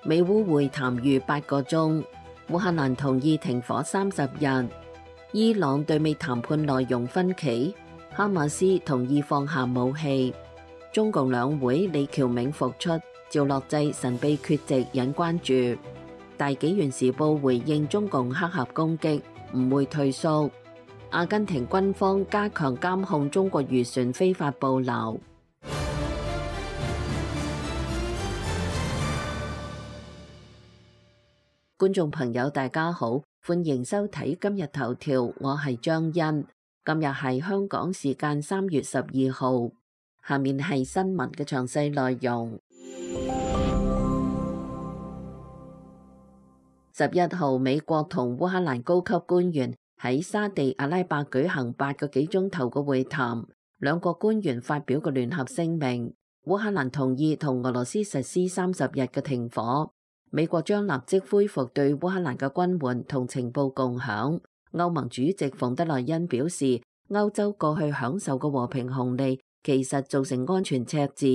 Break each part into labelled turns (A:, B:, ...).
A: 美烏會談逾8個鐘，烏克蘭同意停火30日。伊朗對美談判內容分歧，哈馬斯同意放下武器。中共兩會李翹銘復出，趙樂際神秘缺席引關注。大紀元時報回應中共黑客攻擊，唔會退縮。阿根廷軍方加強監控中國漁船非法捕撈。觀眾朋友大家好，歡迎收睇今日頭條，我係張欣。今日係香港時間3月12號，下面係新聞嘅詳細內容。11號，美國同烏克蘭高級官員喺沙地阿拉伯舉行8個幾鐘頭嘅會談，兩國官員發表個聯合聲明，烏克蘭同意同俄羅斯實施30日嘅停火。美國將立即恢復對烏克蘭嘅軍援同情報共享。歐盟主席馮德萊恩表示，歐洲過去享受嘅和平紅利其實造成安全赤字，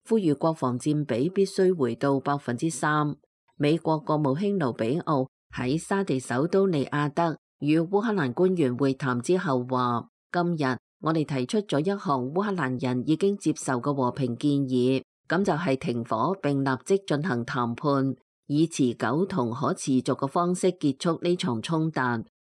A: 呼籲國防佔比必須回到3%。美國國務卿盧比奧喺沙地首都利雅得與烏克蘭官員會談之後話，今日我哋提出咗一項烏克蘭人已經接受嘅和平建議，咁就係停火並立即進行談判，以持久同可持續嘅方式結束呢場衝突。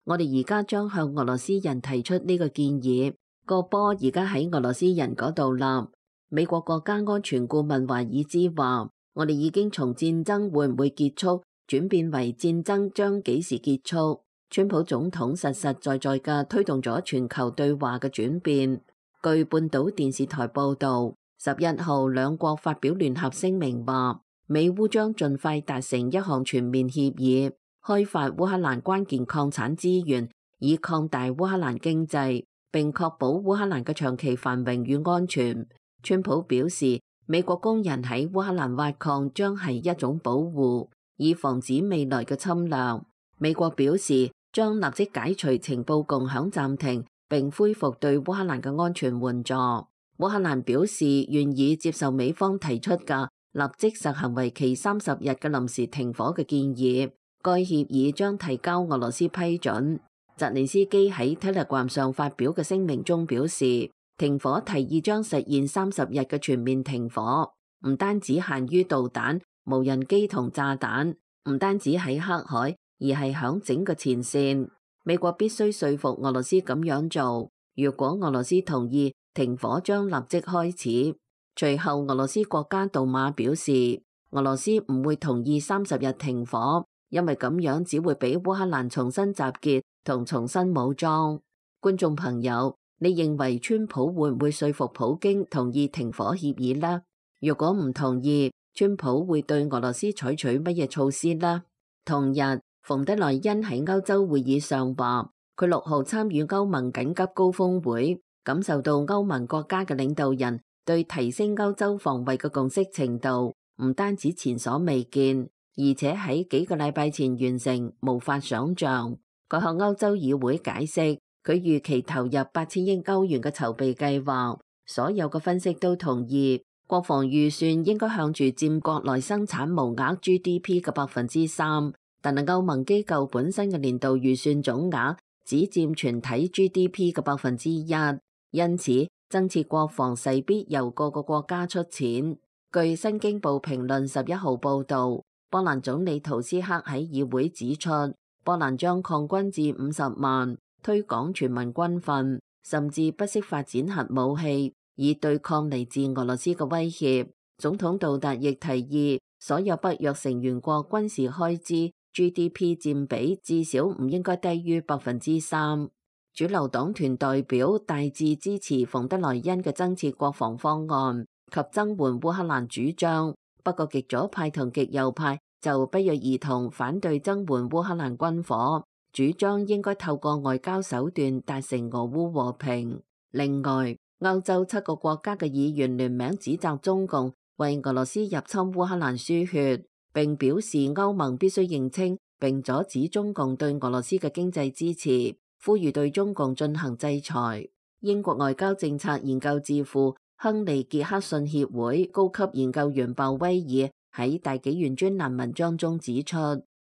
A: 我哋而家將向俄羅斯人提出呢個建議，個波而家喺俄羅斯人嗰度啦。美國國家安全顧問華爾茲話，我哋已經從戰爭會唔會結束轉變為戰爭將幾時結束。川普總統實實在在嘅推動咗全球對話嘅轉變。據半島電視台報道，11號兩國發表聯合聲明話，美烏將盡快達成一項全面協議，開發烏克蘭關鍵礦產資源，以擴大烏克蘭經濟，並確保烏克蘭嘅長期繁榮與安全。川普表示，美國工人喺烏克蘭挖礦將係一種保護，以防止未來嘅侵略。美國表示將立即解除情報共享暫停，並恢復對烏克蘭嘅安全援助。烏克蘭表示願意接受美方提出嘅立即實行為期30日嘅臨時停火嘅建議，該協議將提交俄羅斯批准。澤連斯基喺 Telegram 上發表嘅聲明中表示，停火提議將實現30日嘅全面停火，唔單止限於導彈、無人機同炸彈，唔單止喺黑海，而係響整個前線。美國必須說服俄羅斯咁樣做，如果俄羅斯同意，停火將立即開始。隨後，俄羅斯國家杜馬表示，俄羅斯唔會同意30日停火，因為咁樣只會俾烏克蘭重新集結同重新武裝。觀眾朋友，你認為川普會唔會說服普京同意停火協議呢？如果唔同意，川普會對俄羅斯採取乜嘢措施呢？同日，馮德萊恩喺歐洲會議上話，佢6號參與歐盟緊急高峰會，感受到歐盟國家嘅領導人對提升歐洲防衛嘅共識程度唔單止前所未見，而且喺幾個禮拜前完成，無法想象。佢向歐洲議會解釋，佢預期投入8000億歐元嘅籌備計劃，所有嘅分析都同意，國防預算應該向住佔國內生產毛額 GDP 嘅3%，但係歐盟機構本身嘅年度預算總額只佔全體 GDP 嘅1%，因此增設國防勢必由各個國家出錢。據新京報評論11號報道，波蘭總理圖斯克喺議會指出，波蘭將擴軍至50萬，推廣全民軍訓，甚至不惜發展核武器，以對抗嚟自俄羅斯嘅威脅。總統杜達亦提議，所有北約成員國軍事開支 GDP 佔比至少唔應該低於3%。主流黨團代表大致支持馮德萊恩嘅增設國防方案及增援烏克蘭主張，不過極左派同極右派就不約而同反對增援烏克蘭軍火，主張應該透過外交手段達成俄烏和平。另外，歐洲7個國家嘅議員聯名指責中共為俄羅斯入侵烏克蘭輸血，並表示歐盟必須認清並阻止中共對俄羅斯嘅經濟支持，呼籲對中共進行制裁。英國外交政策研究智庫亨利傑克遜協會高級研究員鮑威爾喺大紀元專欄文章中指出，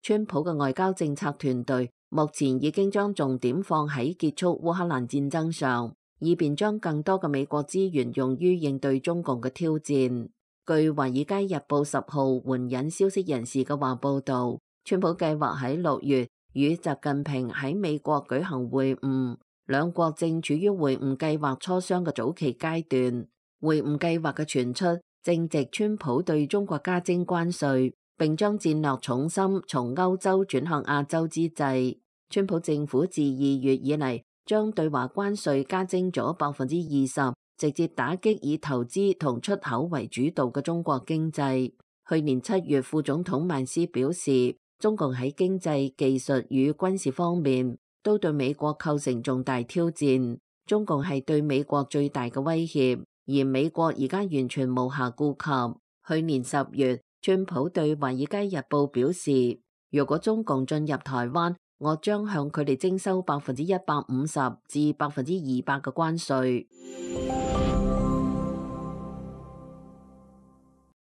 A: 川普嘅外交政策團隊目前已經將重點放喺結束烏克蘭戰爭上，以便將更多嘅美國資源用於應對中共嘅挑戰。據《華爾街日報》10號援引消息人士嘅話報導，川普計劃喺6月與習近平喺美國舉行會晤，兩國正處於會晤計劃磋商嘅早期階段。會晤計劃嘅傳出正值川普對中國加徵關稅，並將戰略重心從歐洲轉向亞洲之際，川普政府自2月以嚟將對華關稅加徵咗20%，直接打擊以投資同出口為主導嘅中國經濟。去年7月，副總統曼斯表示，中共喺經濟、技術與軍事方面都對美國構成重大挑戰，中共係對美國最大嘅威脅，而美國而家完全無暇顧及。去年10月，川普對《華爾街日報》表示，如果中共進入台灣，我將向佢哋徵收150%至200%嘅關稅。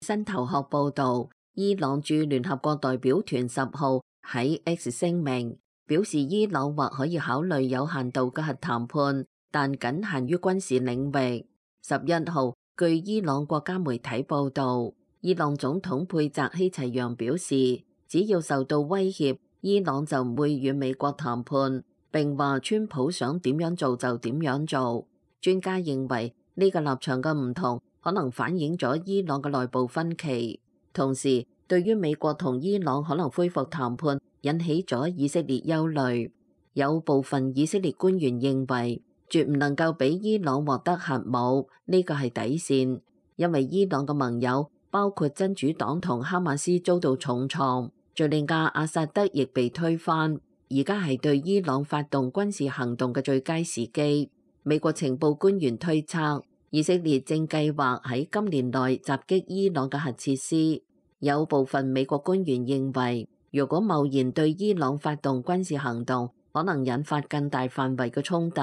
A: 新頭殼報導，伊朗駐聯合國代表團10號喺 X 聲明表示，伊朗或可以考慮有限度嘅核談判，但僅限於軍事領域。11號，據伊朗國家媒體報導，伊朗總統佩澤希齊揚表示，只要受到威脅，伊朗就唔會與美國談判，並話川普想點樣做就點樣做。專家認為呢個立場嘅唔同可能反映咗伊朗嘅內部分歧，同時對於美國同伊朗可能恢復談判引起咗以色列憂慮。有部分以色列官員認為，絕唔能夠俾伊朗獲得核武，呢個係底線，因為伊朗嘅盟友包括真主黨同哈馬斯遭到重創，敘利亞阿薩德亦被推翻，而家係對伊朗發動軍事行動嘅最佳時機。美國情報官員推測，以色列正計劃喺今年內襲擊伊朗嘅核設施。有部分美國官員認為，如果貿然對伊朗發動軍事行動，可能引發更大範圍嘅衝突，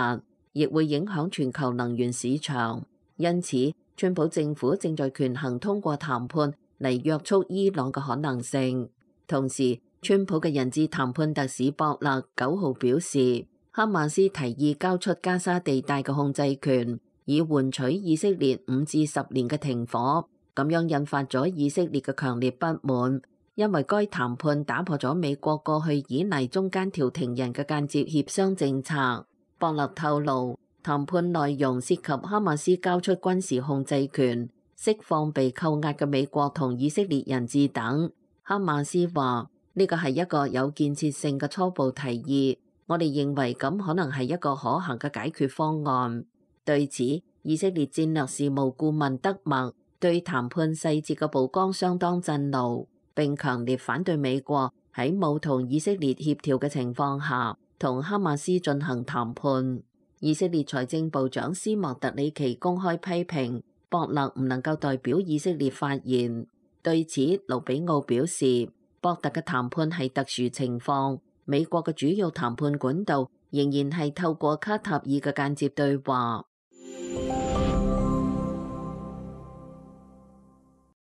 A: 亦會影響全球能源市場。因此，川普政府正在權衡通過談判嚟約束伊朗嘅可能性。同時，川普嘅人質談判特使博勒9號表示，哈馬斯提議交出加沙地帶嘅控制權，以換取以色列5至10年嘅停火。咁樣引發咗以色列嘅強烈不滿，因為該談判打破咗美國過去依賴中間調停人嘅間接協商政策。博勒透露，談判內容涉及哈馬斯交出軍事控制權、釋放被扣押嘅美國同以色列人質等。哈馬斯話呢個係一個有建設性嘅初步提議，我哋認為咁可能係一個可行嘅解決方案。對此，以色列戰略事務顧問德默對談判細節嘅曝光相當震怒，並強烈反對美國喺冇同以色列協調嘅情況下同哈馬斯進行談判。以色列財政部長斯莫特里奇公開批評博勒唔能夠代表以色列發言。對此，盧比奧表示，博特嘅談判係特殊情況，美國嘅主要談判管道仍然係透過卡塔爾嘅間接對話。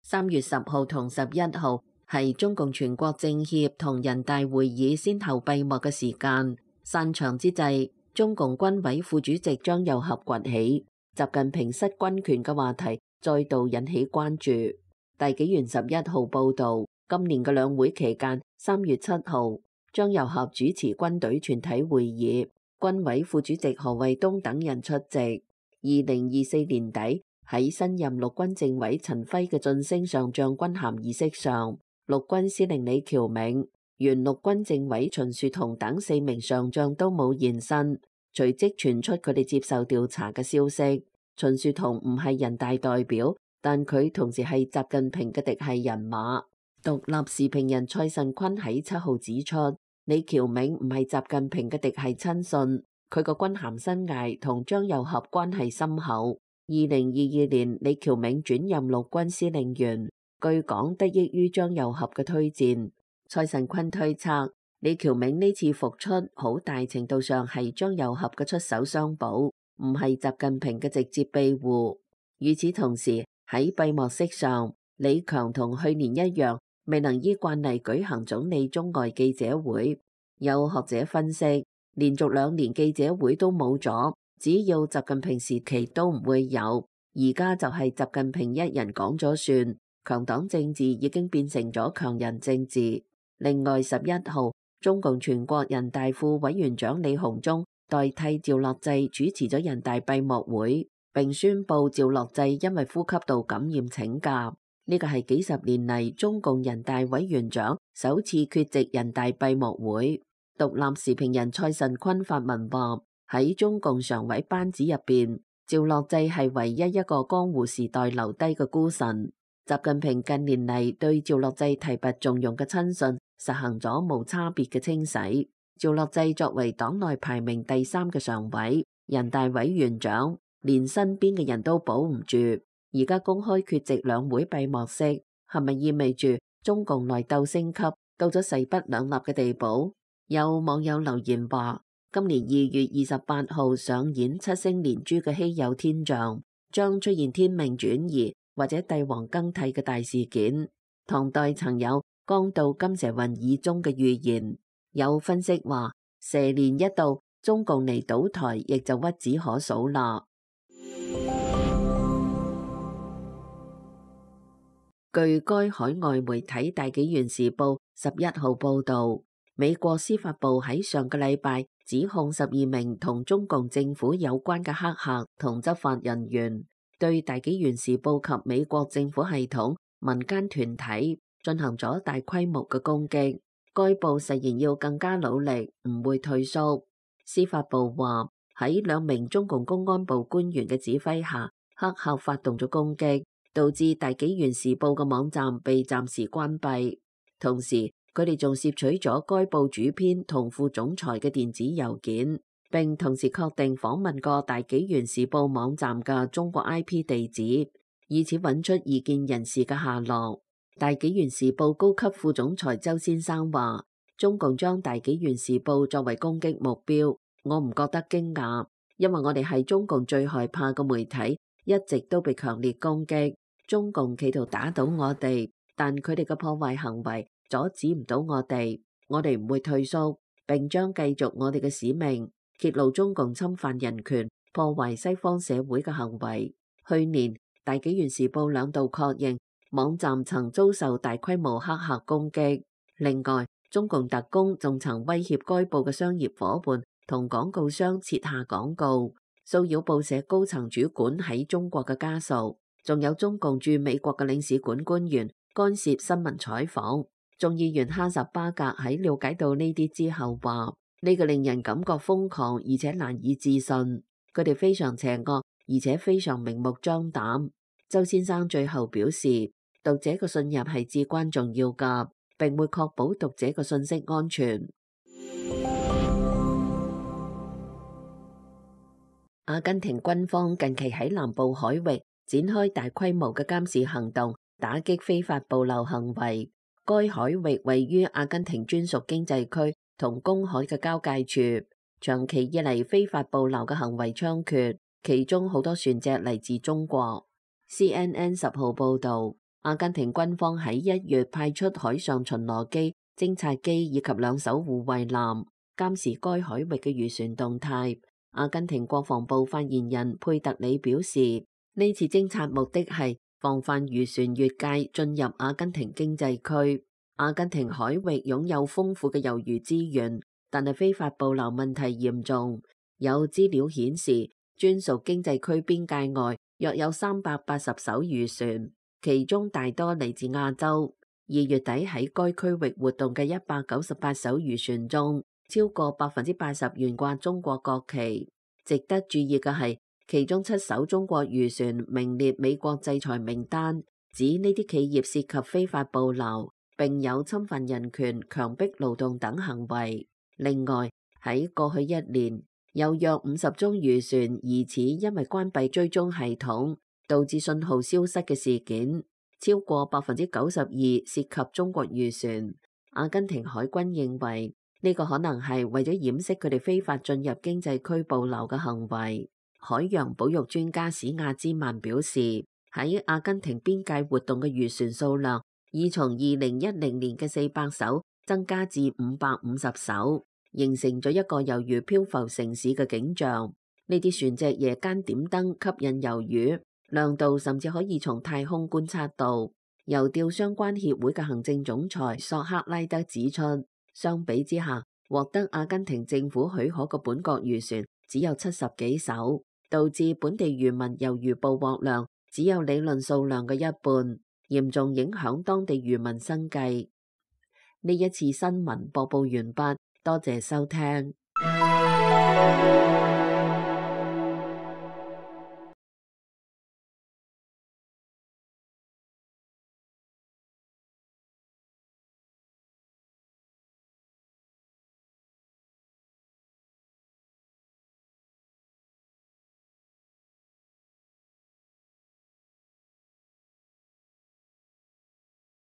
A: 3月10號同11號係中共全國政協同人大會議先後閉幕嘅時間。散場之際，中共軍委副主席張又俠崛起，習近平失軍權嘅話題再度引起關注。大紀元11號報導，今年嘅兩會期間，3月7號，張又俠主持軍隊全體會議，軍委副主席何衛東等人出席。2024年底，喺新任陸軍政委陳輝嘅晉升上將軍銜儀式上，陸軍司令李喬銘、原陸軍政委秦樹同等4名上將都冇現身，隨即傳出佢哋接受調查嘅消息。秦樹同唔係人大代表，但佢同時係習近平嘅嫡系人馬。獨立時評人蔡慎坤喺7號指出，李喬銘唔係習近平嘅嫡系親信，佢個軍銜生涯同張又俠關係深厚。2022年，李喬銘轉任陸軍司令員，據講得益於張又俠嘅推薦。蔡慎坤推測，李喬銘呢次復出好大程度上係張又俠嘅出手相補，唔係習近平嘅直接庇護。與此同時，喺閉幕式上，李強同去年一樣，未能依慣例舉行總理中外記者會。有學者分析，連續2年記者會都冇咗，只要習近平時期都唔會有。而家就係習近平一人講咗算，強黨政治已經變成咗強人政治。另外11號，中共全國人大副委員長李鴻忠代替趙樂際主持咗人大閉幕會，並宣布趙樂際因為呼吸道感染請假。呢個係幾十年嚟中共人大委員長首次缺席人大閉幕會。獨立時評人蔡慎坤發文話，喺中共常委班子入邊，趙樂際係唯一一個江湖時代留低嘅孤臣。習近平近年嚟對趙樂際提拔重用嘅親信實行咗無差別嘅清洗。趙樂際作為黨內排名第3嘅常委、人大委員長，連身邊嘅人都保唔住。而家公開缺席兩會閉幕式，係咪意味住中共內鬥升級到咗勢不兩立嘅地步？有網友留言話，今年2月28號上演7星連珠嘅稀有天象，將出現天命轉移或者帝王更替嘅大事件。唐代曾有剛到金蛇運以終嘅預言。有分析話，蛇年一到，中共嚟倒台亦就屈指可數啦。據該海外媒體大紀元時報11號報導，美國司法部喺上個禮拜指控12名同中共政府有關嘅黑客同執法人員對大紀元時報及美國政府系統、民間團體進行咗大規模嘅攻擊。該報誓言要更加努力，唔會退縮。司法部話喺2名中共公安部官員嘅指揮下，黑客發動咗攻擊，導致大紀元時報嘅網站被暫時關閉。同時，佢哋仲竊取咗該報主編同副總裁嘅電子郵件，並同時確定訪問過大紀元時報網站嘅中國 IP 地址，以此揾出異見人士嘅下落。大紀元時報高級副總裁周先生話，中共將大紀元時報作為攻擊目標，我唔覺得驚訝，因為我哋係中共最害怕嘅媒體，一直都被強烈攻擊。中共企圖打倒我哋，但佢哋嘅破壞行為阻止唔到我哋唔會退縮，並將繼續我哋嘅使命，揭露中共侵犯人權、破壞西方社會嘅行為。去年，大紀元時報2度確認網站曾遭受大規模黑客攻擊。另外，中共特工仲曾威脅該報嘅商業夥伴同廣告商撤下廣告，騷擾報社高層主管喺中國嘅家屬，仲有中共駐美國嘅領事館官員干涉新聞採訪。眾議員哈什巴格喺了解到呢啲之後話，呢個令人感覺瘋狂而且難以置信，佢哋非常邪惡而且非常明目張膽。周先生最後表示，讀者嘅信任係至關重要㗎，並會確保讀者嘅信息安全。阿根廷軍方近期喺南部海域展開大規模嘅監視行動，打擊非法捕撈行為。該海域位於阿根廷專屬經濟區同公海嘅交界處，長期以嚟非法捕撈嘅行為猖獗，其中好多船隻嚟自中國。CNN 10號報導，阿根廷軍方喺1月派出海上巡邏機、偵察機以及2艘護衛艦，監視該海域嘅漁船動態。阿根廷國防部發言人佩特里表示，呢次偵察目的係防範漁船越界進入阿根廷經濟區。阿根廷海域擁有豐富嘅魷魚資源，但係非法捕撈問題嚴重。有資料顯示，專屬經濟區邊界外約有380艘漁船，其中大多嚟自亞洲。2月底喺該區域活動嘅198艘漁船中，超過80%懸掛中國國旗。值得注意嘅係，其中7艘中國漁船名列美國制裁名單，指呢啲企業涉及非法捕撈，並有侵犯人權、強迫勞動等行為。另外，喺過去1年，有約50宗漁船疑似因為關閉追蹤系統，導致信號消失嘅事件，超過92%涉及中國漁船。阿根廷海軍認為呢個可能係為咗掩飾佢哋非法進入經濟區捕撈嘅行為。海洋保育專家史亞茲曼表示，喺阿根廷邊界活動嘅漁船數量已從2010年嘅400艘增加至550艘，形成咗一個猶如漂浮城市嘅景象。呢啲船隻夜間點燈吸引魷魚，亮度甚至可以從太空觀察到。郵釣相關協會嘅行政總裁索克拉德指出，相比之下，獲得阿根廷政府許可嘅本國漁船只有70幾艘，導致本地漁民魷魚捕獲量只有理論數量嘅一半，嚴重影響當地漁民生計。呢一次新聞播報完畢，多謝收聽。